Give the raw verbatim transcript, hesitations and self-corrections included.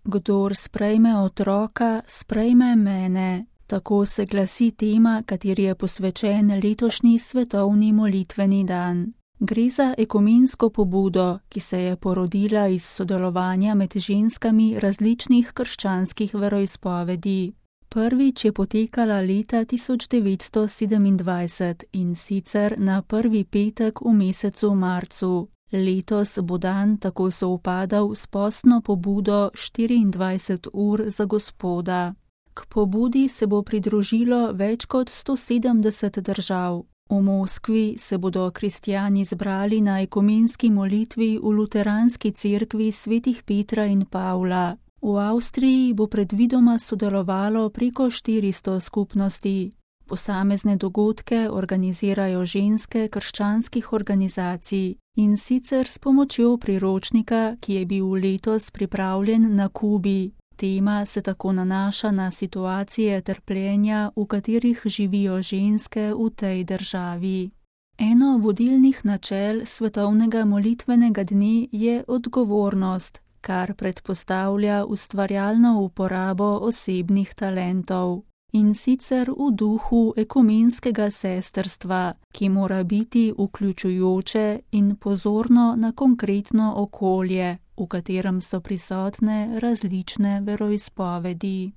Kdor sprejme otroka, sprejme mene. Tako se glasi tema, kateri je posvečen letošnji svetovni molitveni dan. Gre za ekumensko pobudo, ki se je porodila iz sodelovanja med ženskami različnih krščanskih veroizpovedi. Prvič je potekala leta tisoč devetsto sedemindvajset in sicer na prvi petek v mesecu marcu. Letos bo dan tako sovpadal s postno pobudo štiriindvajset ur za Gospoda. K pobudi se bo pridružilo več kot sto sedemdeset držav. V Moskvi se bodo kristjani zbrali na ekumenski molitvi v luteranski cerkvi svetih Petra in Pavla. V Avstriji bo predvidoma sodelovalo preko štiristo skupnosti. Posamezne dogodke organizirajo ženske krščanskih organizacij in sicer s pomočjo priročnika, ki je bil letos pripravljen na Kubi. Tema se tako nanaša na situacije trpljenja, v katerih živijo ženske v tej državi. Eno vodilnih načel svetovnega molitvenega dne je odgovornost, kar predpostavlja ustvarjalno uporabo osebnih talentov. In sicer v duhu ekumenskega sestrstva, ki mora biti vključujoče in pozorno na konkretno okolje, v katerem so prisotne različne veroizpovedi.